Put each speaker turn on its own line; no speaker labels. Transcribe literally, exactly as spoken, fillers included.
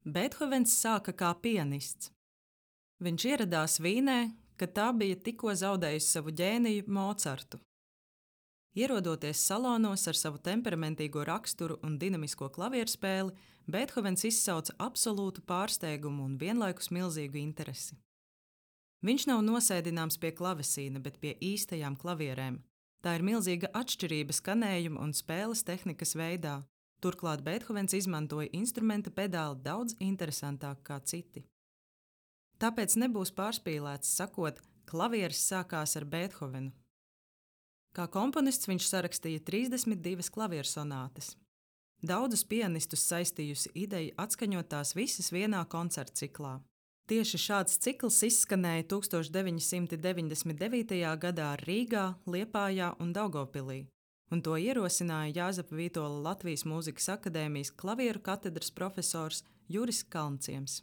Beethovens sāka kā pianists. Viņš ieradās Vīnē, kad tā bija tikko zaudējusi savu ģēniju Mocartu. Ierodoties salonos ar savu temperamentīgo raksturu un dinamisko klavierspēli, Beethovens izsauca absolūtu pārsteigumu un vienlaikus milzīgu interesi. Viņš nav nosēdināms pie klavesīna, bet pie īstajām klavierēm. Tā ir milzīga atšķirība skanējuma un spēles tehnikas veidā. Turklāt Beethovens izmantoja instrumenta pedāli daudz interesantāk kā citi. Tāpēc nebūs pārspīlēts sakot, klavieris sākās ar Beethovenu. Kā komponists viņš sarakstīja trīsdesmit divas klaviersonātes. Daudzus pianistus saistījusi ideja atskaņot tās visas vienā koncerta ciklā. Tieši šāds cikls izskanēja tūkstoš deviņi simti deviņdesmit devītajā gadā Rīgā, Liepājā un Daugavpilī, un to ierosināja Jāzepa Vītola Latvijas Mūzikas akadēmijas klavieru katedras profesors Juris Kalnciems.